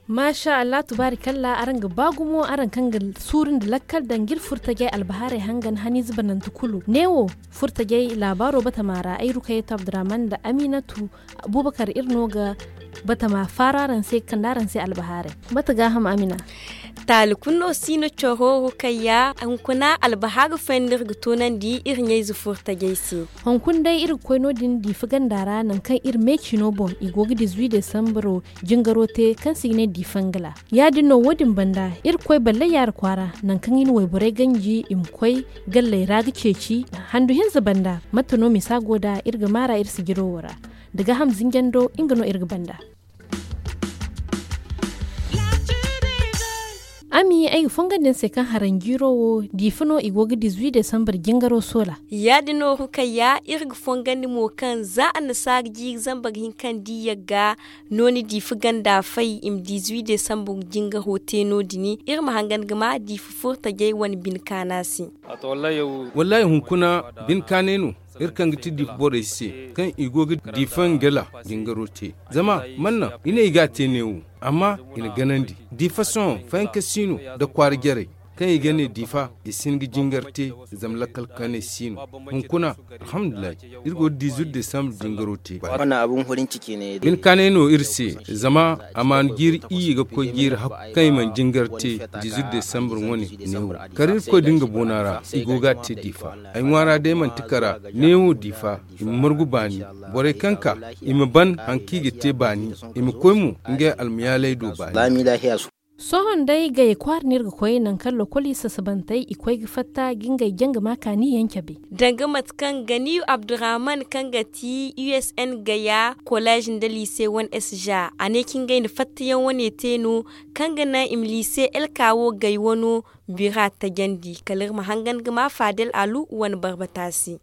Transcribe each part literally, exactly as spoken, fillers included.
Maasa allah tubaari kalla araŋ ga ba gumo araŋ kaŋ ga suuru nda lakkal daŋ ga iri furtajey albahaarey hangan haniize banante kulu neewo. Furtajey laabaaro batama ra ay rukayatu abdurrahman nda aminatu abubakar iri no ga batama faaru araŋ se ga kande araŋ se albahaarey. Mate gaaham amina. Taali kulu no si no coro rukayya hunkuna albahaari fooyaŋ no iri ga toonandi iri ɲayze furtajey se. Hunkuna day iri ga koy no- din diifa ganda ra nangu kaŋ iri meecino boŋ i go ga dizuwi desambaro jingaro te kaŋ se i ga ne diifa ngala. Ya- din no wo- din banda iri ga koy ballay yaari kwaara nangu kaŋ i na wayborey ganji i ma koy galley ra ga ceeci. Handu hinza banda mate no misa go nd'a iri ga maara iri sijiro wo ra. Da gaaham zinjando nga no iri ga banda. Ami ay ga fongandi ni se kaŋ haranjiiro wo diifa no i go ga dizuwi desambur jingaro soola. Ya- din no rukayya iri ga fongandi mo kaŋ za annasaara jiiri zambar hinka nda i yagga no ni diifa ganda fay i ma dizuwi desambur jingaro te no- din iri ma hangan ga ma diifa furtajey wane bine kaana se. Wallaahi hunkuna bine kaanay no. Iri kaŋ ga ti diifa borey se kaŋ i go ga diifa ngela jingaro te. Zama man naŋ i ne i ga a te neewo amma i na ganandi diifa sohõ fayanka si no nda kwaara jarey kaŋ i ga ne diifa i si hin ga jingar te. Zama lakkal kaanay si no. Hunkuna alhamdulillahi iri go ga diizuwit desambur jingaro te. Bine kaanay no iri se zama a ma ni jiiri iyye ga koy jiiri hakku kaŋ i mana jingar te diizuwit desambur wane neewo. Kar irkoy da nga boona ra i go ga a te diifa. Ay ŋwaara day manti kara neewo diifa i ma margu baani. Borey kaŋ ka i ma ban hari kaŋ i ga te baani i ma koy mo ngey almayaaley do baani. Sohõ day gay kwaara no iri ga koy nangu kaŋ lokol i sasabantey i koy ga fatta ga ngey janga ma kaani yaŋ cabe. Danga mate kaŋ ganiyu abdurrahman kaŋ ga ti usn gaya kolej nda liise wane sja a ne kaŋ ngey na fattayaŋ wane te no kaŋ ga naŋ i ma liise elka wo gay wano bira tajandi kala iri ma hangan ga ma faadel alu wane barbata se.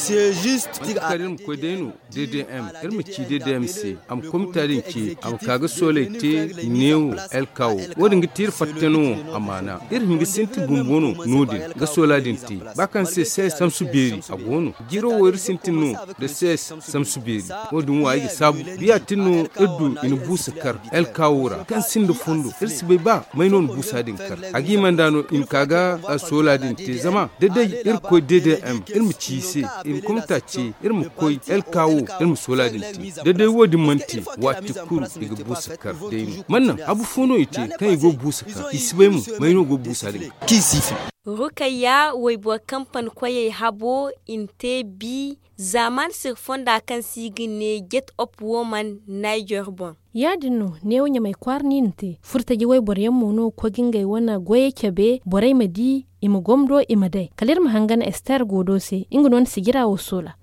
Kala iri ma koy day no ddm iri ma ci ddm se a ma komita din ce a ma ka ga sooley te neewo elka wo. Wo- din ga ti iri fatta no amaana iri hin ga sintin bumbo no no- din ga soola din te ba kaŋ se se samsu beeri a go no. Jiiro wo iri sintin no nda se samsu beeri. Wo- din wo ay ga saabu biya tin no iri du i na buusa kar elka wo ra kaŋ sinda fondo iri si bay ba may no na buusa din kar a ga i manda no i ma ka ga soola din te zama da day iri koy ddm iri ma ci i se i ma komita ce iri ma koy elka wo iri ma soola din te. Da day wo- din mana te waati kulu i ga buusa kar day no man naŋ habu fo no i te kaŋ i go ga buusa kar i si bay mo may no go ga buusa din kar. Rukayya wayboro kampani koyey habo i na te bi zaamaani siri fonda kaŋ se i ga ne get op woman niger boŋ. Ya- din no neewo ɲamay kwaara no i na te furtaji wayboro yaŋ mo no ga koy ga ngey wane goyey cabe borey ma di i ma gomdo i ma day kala iri ma hangan ester goodo se nga no na sijira wo soola.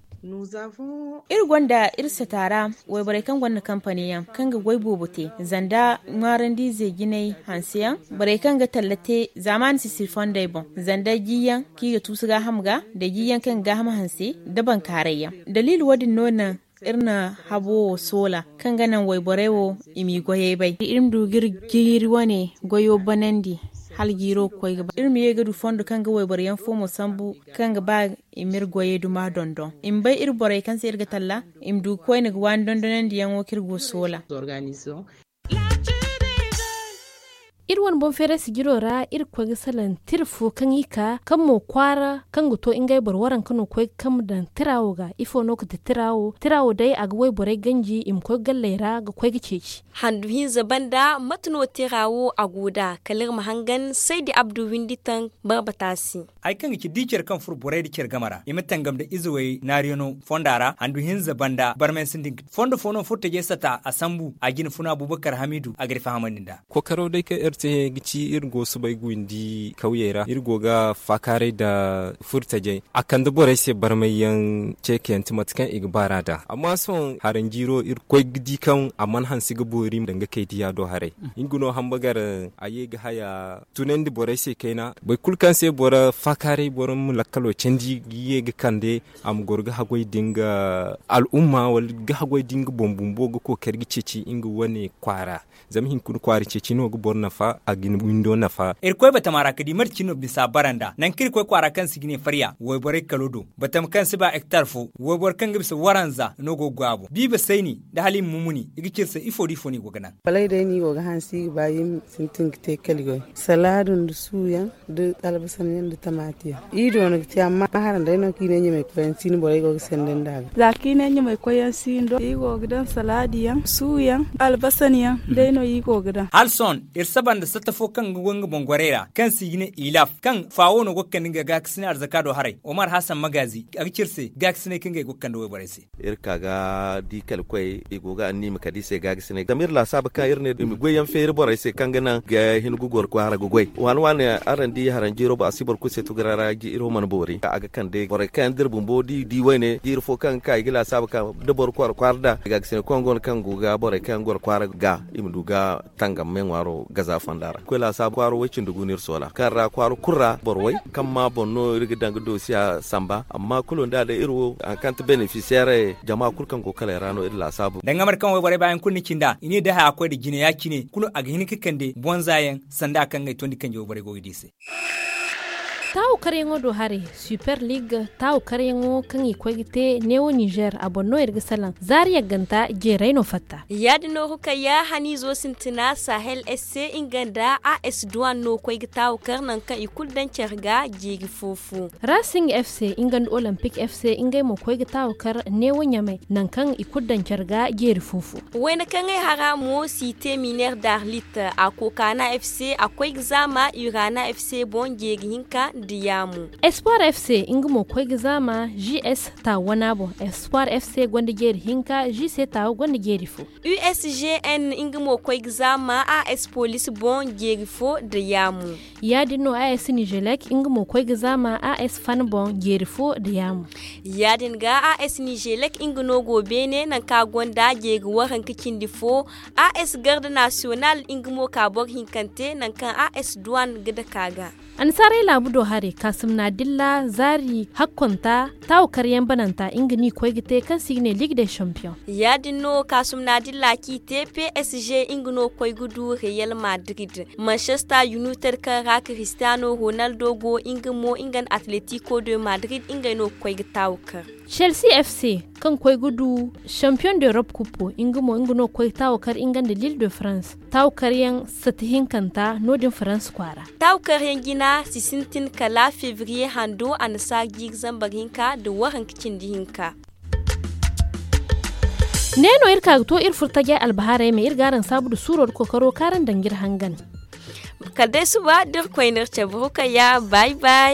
Iri gonda iri sata ra wayborey kaŋ gonda kampani yaŋ kaŋ ga goy boobo te zanda ŋwaarandiize jinay hanse yaŋ borey kaŋ ga talla te zaamaani sisiri fondey boŋ zanda jiyaŋ kaŋ i ga tuusu gaaham ga nda jiyaŋ kaŋ ga gaaham hanse nda bankaaray yaŋ. Daliili wo- din no naŋ iri na habo wo soola kaŋ ga naŋ wayborey wo i m'i goyey bay iri ma du ga iri jiiri wane goyo banandi hala jiiro ga koy ga ba iri ma ye ga du fondo kaŋ ga wayboro yaŋ fo mo sambu kaŋ ga ba i m'iri goyey duma dondon i ma bay iri borey kaŋ se iri ga talla i ma du ga koyne ga waani dondonandiyaŋo kaŋ iri go soola. Iri wane boŋ feeray sijiro ra iri ga koy ga salaŋ tira fo kaŋ i ka kaŋ mo kwaara kaŋ ga to ngey boro waranka no ga koy ga kambe daŋ tira wo ga ifo no ga ti tira wo tira wo day a ga wayborey ganji i ma koy ga galley ra ga koy ga ceeci. Handu hinza banda mate no tira wo a go nd'a kala iri ma hangan saydi abdu windi taŋ barbata se. Hari kaŋ ga ci di care kaŋ furo borey nda care game ra i ma tangam nda izewey naariyaŋo fonda ra handu hinza banda barmay sintin ga ti fondo fo no furo tajey sata a sambu a jina funa abubakar hamidu a ga iri fahamandi nd'a. Kookaraw day kaŋ Iri ga ci iri go soobay ga windi kawyey ra iri go ga faakaaray nda furtajey a kande borey se barmay yaŋ ceekayaŋ ti mate kaŋ i ga baar'a nd'a amma sohõ haranjiiro iri koy ga di kaŋ a mana hanse ga boori danga kay diya do haray. Nga no hambagar a ye ga haya tunandi borey se kayna boro kulu kaŋ se boro faakaaray boro ma lakkalo candi ga ye ga kande a ma goro ga haggoy da nga al'umma wala ga haggoy da nga boŋ bumbo ga kookari ga ceeci nga wane kwaara. Zama hinkuna kwaara ceeci no ga boro nafa a ga ni windo nafa. Irkoy batama ra ka di mate cine no bisa bara nd'a nangu kaŋ iri koy kwaara kaŋ se i ga ne farya wayborey kalo do batama kaŋ si ba hektar fo wayboro kaŋ ga bisa waranza no go ga goy a boŋ biiba sayni nda hala i ma mumuni i ga ci iri se ifo da ifo no i go ga naŋ. Balay day no i go ga hanse i ga ba i ma sintin ga te kali goy salaadu nda suuyaŋ nda albasan yaŋ nda tamaati yaŋ. I do no ga te amma hara day no kaŋ i ne ɲamay koy yaŋ si no borey go ga sanda nd'a ga za kaŋ i ne ɲamay koy yaŋ si no i go ga daŋ salaadi yaŋ suuyaŋ albasan yaŋ day no i go ga daŋ. Hala sohõ iri saba nda satta fo kaŋ ga goy nga boŋ gorey ra kaŋ se i ga ne ilaf kaŋ faawo no go ga kande nga gaakasinay arzaka do haray omar hasan magaazi a ga ci iri se gaakasinay kaŋ ga ay go ga kande wayborey se. Iri ka ga di kala koy i go ga anniima kala i se gaakasinay zama iri laasaabu kaŋ iri ne i ma goy yaŋ feeri borey se kaŋ ga naŋ ga hin ga goro kwaara ga goy waani waani araŋ di haranjiiro boŋ a si boro kulu se tugura ra iri wo mana boori a ga kande borey kaŋ yaŋ da iri bumbo da i di wayne jiiri fo kaŋ ga ka i ga laasaabu kaŋ da boro kwaara kwaara nd'a gaakasinay kaŋ go no kaŋ go ga borey kaŋ yaŋ goro kwaara ga i ma du ga tangam me ŋwaaro gaza fonda ra koy laasaabu kwaaro way cindi gu no iri soola kaŋ ra kwaaro kulu ra boro way kaŋ ma boŋ no iri ga daŋ ga doosiya samba amma kulu nda day iri wo haŋ kaŋ ti benefisiyeer jama kulu kaŋ go kaley ra no iri laasaabu. Danga mate kaŋ wayborey baayaŋ kulu ni cinda i ne da haya koy nda jine ya- cine kulu a ga hin ga kande bonza yaŋ sanda kaŋ ga ay tondi kanji wayborey go ga di se. Taawu karyaŋo do haray super liig taawu karyaŋo kaŋ i koy ga te neewo nizer a boŋ no iri ga salaŋ zaari yagganta jeeray no fatta. Ya- din no rukayya haniizo sintina sahel s se nga nda a s duwan no koy ga taawu kar nangu kaŋ i kulu daŋ care ga jeeri fo fo. Rasing f se nga nda olympic f se ngey mo koy ga taawu kar neewo ɲamay nangu kaŋ i kulu daŋ care ga jeeri fo fo. Wayna kaŋ ay hara mo si te miner darlit a kokaana f se a koy ga zaama urana f se boŋ jeeri hinka nda yaamu. Espoir f se nga mo koy ga zaama g s taawu wana boŋ espoir f se gonda jeeri hinka g se taawu gonda jeeri fo. U s g n nga mo koy ga zaama a s police boŋ jeeri fo nda yaamu. Ya- din no a s nizelek nga mo koy ga zaama a s fan boŋ jeeri fo nda yaamu. Ya- din ga a s nizelek nga no go beene nangu kaŋ a gonda jeeri waranka cindi fo a s garde nasiyonal nga mo ka boro hinkante nangu kaŋ a s duwan ga dake a ga. Annasaarey laabu do haray kaasumna dilla zaari hakkonta taawu karyaŋ bananta nga no i koy ga te kaŋ se i ga ne liig de champion. Ya- din no kaasumna dilla kaŋ i te p s g nga no koy ga du reyal madrid manchester united kaŋ ra cristiano ronaldo go nga mo nga nda atletico de madrid ngey no ga koy ga taawu kar. Chelsea f c kaŋ koy ga du champion de europe kuppo nga mo nga no ga koy ga taawu kar nga nda lille de france taawu karyaŋ sata hinkanta no- din france kwaara. Taawu karyaŋ jina si sintin kala febriye hando annasaara jiiri zambar hinka nda waranka cindi hinka. Ne no iri ka ga to iri furo tajay albahaarey me iri ga araŋ saabu nda suuro nda kookaro kaŋ araŋ daŋ ga iri hangan. Kala day suba da iri koyne iri cabe rukayya bay bay.